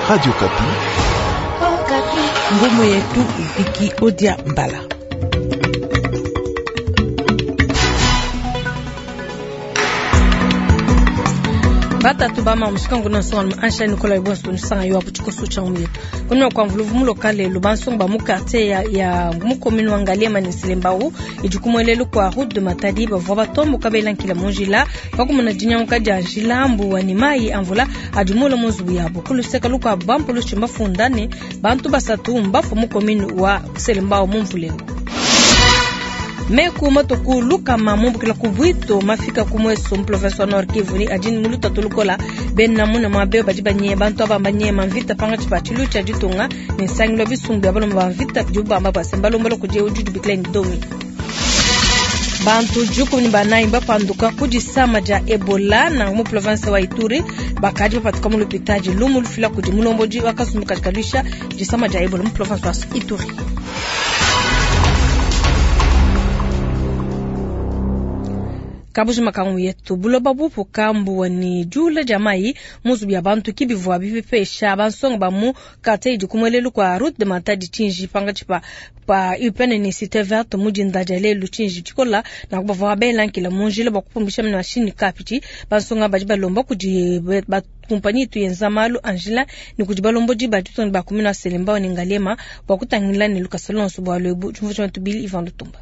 Radio Okapi. Ngumu yetu Viki Odia Mbala. Batatu ba mamushika nguna nsonga ansha Nicolas Ibonso nsanga yo abuchiko cha yetu kuna kwa mvuluvu mulo kale lubansonga ba mu quartier ya, ya mu commune wa Ngaliema ne Selembao idikumwelelu kwa route de Matadi bavua batomboka belankila munjila pakumuna dinyanguka dia njila mbuwa ne mai amvula adi mula mu nzubu yabo kuluseka lukuabu bampulushi mbafunda ne bantu basatu mbafua mu commune wa Selembao mu mvuleu. Meku matuku lukama mumbukila ku bwito mafika ku mweso mu province wa Nord Kivu ni adini mu lutatu lukola bena muna mwabe badi banye bantu aba banyema mvita panga tshipa tshilu tshia ditunga ne nsangilo bisumbu bia balomba ba mvita bidi bamba bua balombola kudi udi dibikila ni domi. Bantu 14 bapanduka ku disama dia Ebola na mu province wa Ituri bakadi bapatuka mu lupitadi lumu lufila kudi mulombodi wa kasumbu kadi kaluisha disama dia Ebola mu province wa Ituri. Kabuji makangu yetu buloba bupuka mbuwa ni jula dia mai muzu ya bantu kibivua bipepesha bansonga ba mu quartier idi kumwelelu kwa route de Matadi tshinji panga tshipa pa upene ni cité verte mujinda dia lelu tshinji tshikola na kubavua belankila munjila bua kupumbisha mashini kapiti bansonga badi balomba kudi ba kumpanyi itu yenza malu anjila ni kudi balombodi ba ditunga ba kumina Selembao ni Ngaliema bua kutangila ne lukasa lonso bua lwebu tshumvu tsha tubili Ivan Lutumba.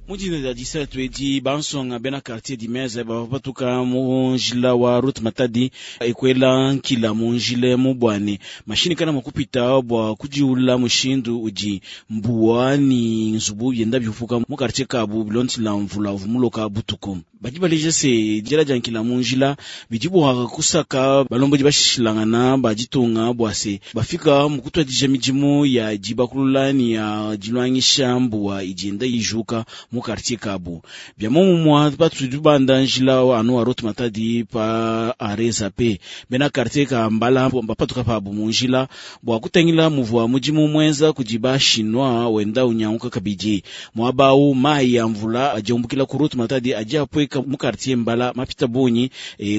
Mudinda dia 17 edi bansonga bena quartier dimeze bavua batuka mu njila wa route Matadi ekwela nkila mu njila mubwane mashini kana makupita bua kudiula mushindu udi mbuwa ni nzubu yenda biupuka mu quartier kabu bilondela mvula vumuloka butuku. Badi baleja se njila dia nkila mu njila bidi bua kusaka balombodi bashishilangana ba ditunga bua se bafika mu kutuadija midimu ya dibakulula ni ya dilwangisha mbuwa idi yenda ijuka mu quartier kabu. Bia momumwa batudi banda njila anu wa route Matadi pa areza pe bena quartier ka mbala bapatuka pabu mu njila bua kutangila muvua mudimu mwenza kudi ba chinois wenda unyanguka kabidi mwabau mai ya mvula ajombukila ku route Matadi aji apweka mu quartier mbala mapita bunyi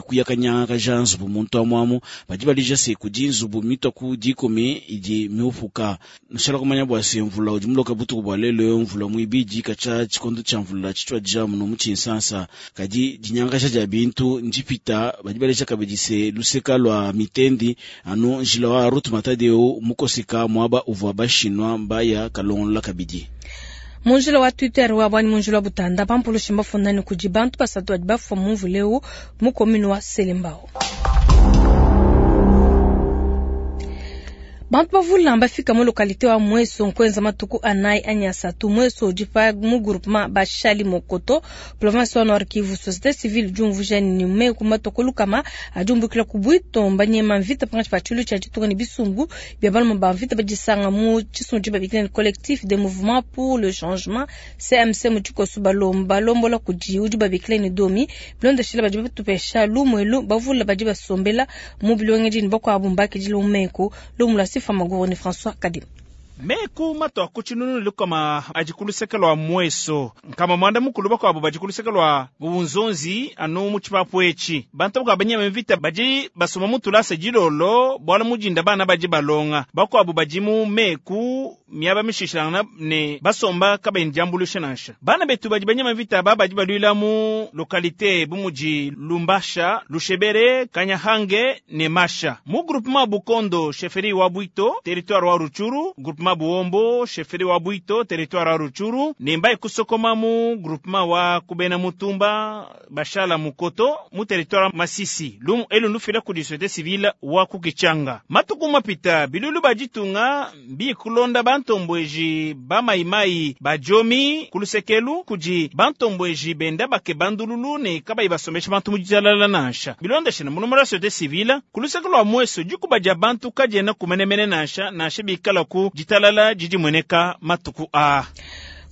kuyakanyanga ja nzubu muntu amwamu badi balija se kudi nzubu mitwa ku dikumi idi miupuka nshala kumanya bua se mvula udi muloka butuku bua lelo mvula muibidi kacha tshikondo tshia mvula tshitshua dia muno mu tshinsansa kadi dinyangasha dia bintu ndipita badi baleja kabidi se luseka lua mitendi anu njila wa route Matadi eu mukoseka mwaba uvua bashinwa mbaya kalongola kabidi. Munjila wa Twitter wa bwani munjila wa Butanda bampulushi mbafundani kudi bantu basatu badi bafua mu mvula eu mu commune wa Selembao. Bantu bavula bafika mu localité wa Mweso nkwenza matuku anayi anyi asatu Mweso udi pa mu groupement Bashali Mokoto province wa Nord Kivu. Société civile diumvuja ni meku matuku lukama adiumbukila ku bwito mbanyema mvita pangatshi pa tshilu tshia ditunga ne bisumbu bia baluma ba mvita badisanga mu tshisumbu tshibabikila ne collectif des mouvements pour le changement CMC mu tshikoso balomba balombola kudi udi babikila ne domi bilondeshila badi batupesha lumuelu bavula badi basombela mu bilongedi ne bakuabu mbakidila mu meku lumu lua Sifa Maguru ni François Kadim. Meku matua ku tshinunu lukama adi ku luseke lua Mweso nkama mwanda mukulu bakuabu badi ku luseke lua Bubunzonzi anu mu tshipapu etshi bantu bakuabu banyema mvita badi basoma mu tulasa dilolo bualu mudinda bana badi balonga bakuabu badi mu meku miaba mishishilangana ne basomba kabayi diambuluisha nansha bana betu badi banyema mvita aba badi baluila mu lokalite bu mudi Lumbasha, Lushebere, Kanyahange ne Masha mu groupement Bukondo chefferie wa Bwito territoire wa Rutshuru groupement Buombo chefferie wa Bwito territoire wa Rutshuru ne mbai kusokoma mu groupement wa Kubena Mutumba Bashala Mukoto mu territoire Masisi lumu elu lufila kudi société civile wa kukichanga matuku mapita bilulu baditunga mbikulonda bantombweji bamaimai bajomi kulusekelu kudi bantombweji benda bake bandululu ne kabayi basombesha bantu mu ditalala nansha bilondeshana mulombola wa société civile kuluseke lua mweso dikuba dia bantu kadiena kumenemene nansha nansha bikala ku ditalala didi mueneka matuku a.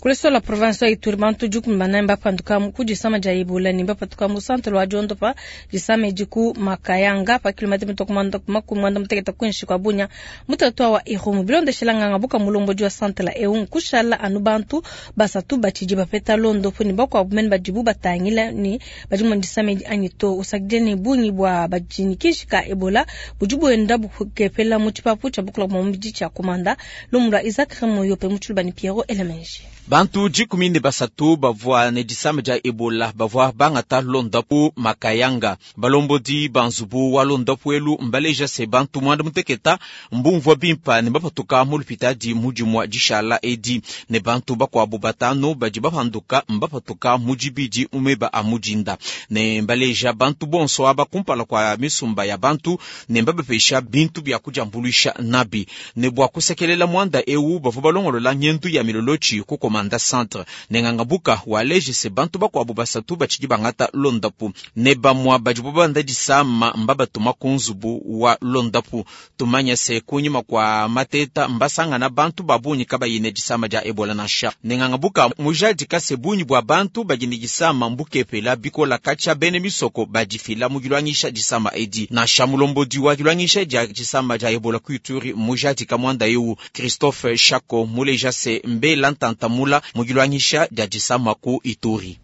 Ku luseke lua province wa Ituri, bantu 14 mbapanduka ku disama dia Ebola ne mbapatuka mu centre wa diondopa disama edi ku Makayanga pa kilomètre mitue ku 60 kuinshi kua Bunia mu territoire wa Irumu. Bilondeshela nganga buka mulombodi wa centre eu, nkushala anu bantu basatu batshidi bapeta londopu ne bakuabu mene badibu batangila ne badi mu disama edi anyi to. Usakidile ne bungi bua badi ne kishi ka Ebola budi buenda bukepela mu tshipapu tshia bukula bua mubidi tshia Komanda. Lumu lua Isaac Remoyope mu Tshiluba ne Pierrot Elemenji. Bantu 13 bavua ne disama dia Ebola bavua bangata londapu Makayanga. Balombodi ba nzubu wa londapu elu mbaleja se bantu 90 mbumvua bimpa ne bapatuka mu lupitadi mu dimua dishala edi, ne bantu bakuabu 5 badi bapanduka mbapatuka mu dibidi mu meba a mudinda. Ne mbaleja bantu bonso aba kumpala kua misumba ya bantu ne mbabapesha bintu bia kudiambuluisha nabi. Ne bua kusekelela muanda eu bavua balongolola ngendu ya milolochi ku Komanda Centre. Ne ngangabuka waleje se bantu bakuabu 3 batshidi bangata londapu ne bamua badi banda disama mbabatuma ku nzubu wa londapu. Tumanya se kunyima kwa mateta mbasangana bantu babunyi kabayi ne disama dia Ebola nansha. Ne ngangabuka mujadika se bunyi bua bantu badi ne disama mbukepela bikola kacha bene misoko badifila mu dilwangisha disama edi. Nansha mulombodi wa dilwangisha dia disama dia Ebola ku Ituri mujadika mwanda eu Christophe Chako muleja se mbela ntantamula mu dilwangisha dia disama ku Ituri.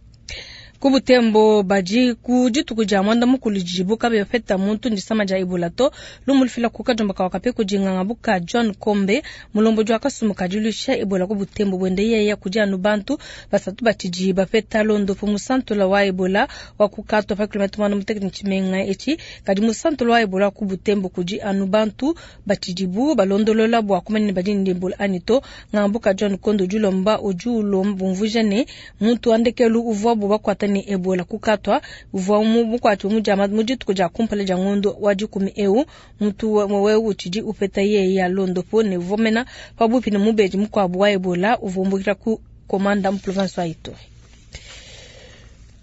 Ku Butembo badi ku dituku dia mwanda mukulu didibu kabe bapeta muntu ndisama dia Ebola to. Lumu lufila ku kajumba ka wakape kudinganga buka John Kombe mulombodi wa kasumu kadilusha Ebola ku Butembo bwende yeye kudi anu bantu basatu batshidi bapeta londopu musantula wa Ebola wa kukatwa pa kilomètre 86 ntshimenga etshi kadi musantula wa Ebola ku Butembo kudi anu bantu batshidibu balondolola bua kumanya badi ne Ebola anyi to. Ngambuka John Kondo dilomba udi ulomba bumvuija ne muntu wandekelu uvua bubakwata ne Ebola kukatwa uvua mukwati mujama mu dituku dia kumpala dia ngondo wa dikumi eu muntu wewe utshidi upeta yeye ya londopo ne uvomena pabupi ne mubedi mukuabu wa Ebola uvumbukira ku Komanda mu province wa Ituri.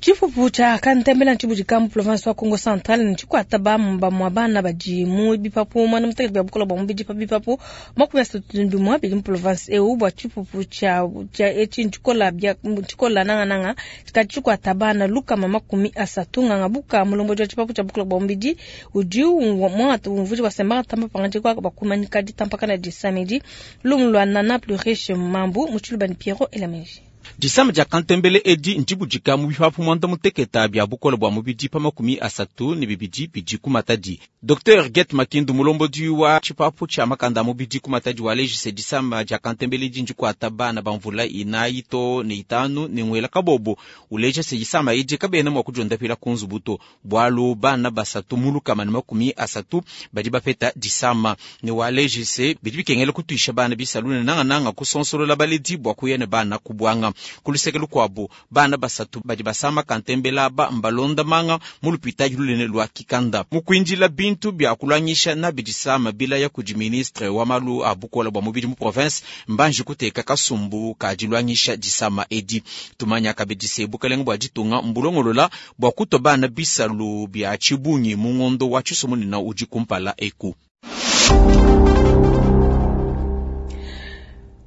Tshipupu tshia kantembela ntshibudika mu province wa Kongo Central ntshikwata bamua bana badi mu bipapu mwana mutekete bia bukola bua mubidi pa bipapu 31 bidi mu province eu bua tshipupu tshia etshi ntshikola bia ntshikola nangananga tshikadi tshikwata bana 130 nganga buka mulombodi wa tshipapu tshia bukola bua mubidi udi mwangata umvuji bua semba tamba pangadi kwa bakumanyika ditampakana disamedi lumu lua Nana plus riche mambu mu Tshiluba ne Pierrot Elamenji. Disama dia kantembele edi ntshibudika mu bipapu 90 bia bukola bua mubidi pa 32 bidi ku Matadi. Dr Get Makindu mulombodi wa tshipapu tshia makanda mubidi ku Matadi walejise disama dia kantembele edi ndikuata bana ba mvula 4 to ne 5 ne ngwela kabobo uleja se disama edi kabena mua kudiondapila ku nzubu to bualu bana 3 mu 130 badi bapeta disama ne walejise bidi bikengela kutuisha bana bisalu ne nangananga kusonsolola baledi bua kuya ne bana kubwanga. Kuluseke lukuabu bana 3 badi basama kantembela ba mbalonda manga mu lupitadi lunene lua Kikanda mukwindila bintu bia kulwangisha na bidisama bila ya kudi ministre wa malu a bukola bua mubidi mu province mbanji kuteka kasumbu ka dilwangisha disama edi. Tumanya kabidise bukalenga bua ditunga mbulongolola bua kutoba bana bisalu bia tshibungi mu ngondo wa tshisomunina udi kumpala eku.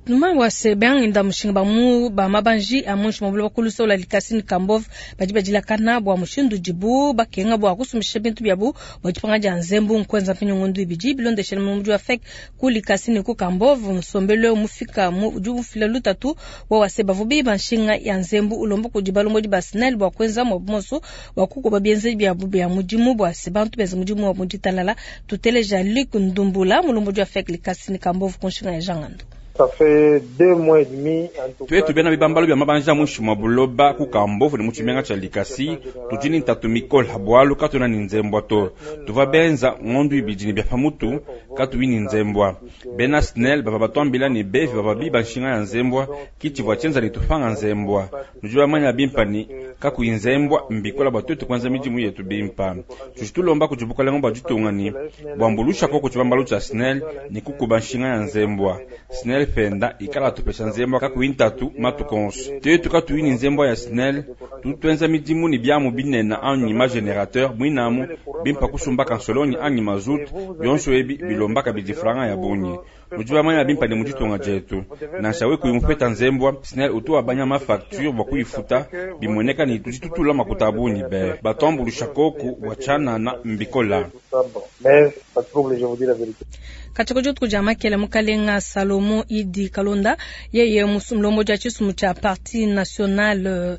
Numa wa sebang inda mushinga ba mu ba mabanji a munshi mabula bakulusa ola likasi ni Kambov badi badilakana bua mushindu dibu bakenga bua kusumisha bintu byabu bua dipanga dia nzembu nkwenza mpinyo ngondu ibidi bilondeshela mu mudi wa FEC ku likasi ni ku Kambov musombelo mufika mu udi mufila lutatu wa waseba vubi banshinga ya nzembu ulomba kudi balombo di basnel bua kwenza mu monso bua kukuba bienze byabu bya mudimu bua sebantu benza mudimu wa muditalala tuteleja Luc Ndumbula mulombo di wa FEC likasi ni Kambov kunshinga ya jangando. Twetu bena bibambalo bya mabanja mushi mwa buloba ku Kambovu ne mu tshimenga tshia Likasi tudi ni ntatu mikola bualu katuna ni nzembwa to tuva benza ngondu ibidi ne bya pamutu katuyi ni nzembwa bena SNEL bava batwambila ni bevi bava biba nshinga ya nzembwa kitshivua tshienza ni tufanga nzembwa nudi bamanya bimpa ni kakuyi nzembwa mbikola bua twetu kuenza midimu yetu bimpa tudi tulomba kudi bukalenga bua ditunga ni buambulusha koko tshibambalo tshia SNEL ni kukuba nshinga ya nzembwa SNEL. penda ikala atupesha nzembwa kakuyi ntatu matuku onso. Tetu katuyi ne nzembwa ya SNEL, tutu tuenza midimu ne biamu binene anyi ma generateur muinamu bimpa kusumba kansolonyi anyi mazutu, bionso ebi bilomba kabidi franga ya bungi. Nudi bamanya bimpa ne mu ditunga dietu, nansha we kuyi mupeta nzembwa, SNEL utu wabanya ma facture bua kuyifuta, bimueneka ne tudi tutula makuta a bungi be batuambulusha koku bua tshianana mbikola. Katshia dituku dia makela mukalenga Salomo Idi Kalonda yeye mulombodi wa tshisumbu tshia Parti National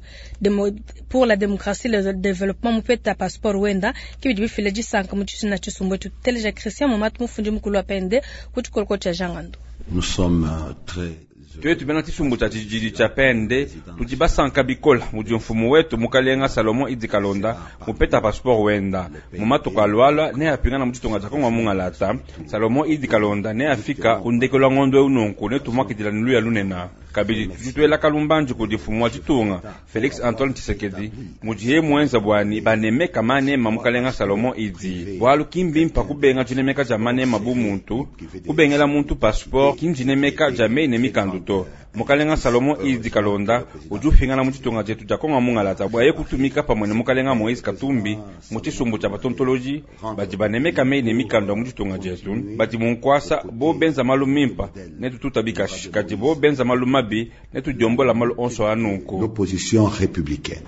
pour la Démocratie et le Développement mupeta passeport wenda ke bidi bifila disanka mu tshisina tshisumbu etshi. Tuteleja Christian Momatu mufundi mukulu wa PND ku tshikoloko tshia Jean Ngandu. Nous sommes très Tuetu bena tshisumbu tshia tshididi tshia PND tudi basanka bikola mudi mfumu wetu mukalenga Salomo Idi Kalonda mupeta passeport wenda mu matuku alualua ne apingana mu ditunga dia Kongo mungalata. Salomo Idi Kalonda ne afika ku ndekelu wa ngondo eu nunku ne tumuakidila ne luya lunena. Kabidi tudi tuela kalumbanji kudi mfumu wa ditunga Felix Antoine Tshisekedi mudiye muenza bwani banemeka manema mukalenga Salomo Idi, bualu ki mbimpa kubenga dinemeka dia manema bu muntu kubengela muntu passeport ki ndinemeka dia meyi ne mikandu to. Mukalenga Salomo Idi Kalonda udi upingana mu ditunga dietu dia Kongo mungalata bua ye kutumika pamue ne mukalenga Moise Katumbi mu tshisumbu tshia batontoloji badi banemeka meyi ne mikandu ya mu ditunga dietu, badi mu nkuasa bo benza malu mimpa ne tututa bikashi, kadi bo benza malu mabi ne tudiombola malu onso a nunku. L'opposition républicaine.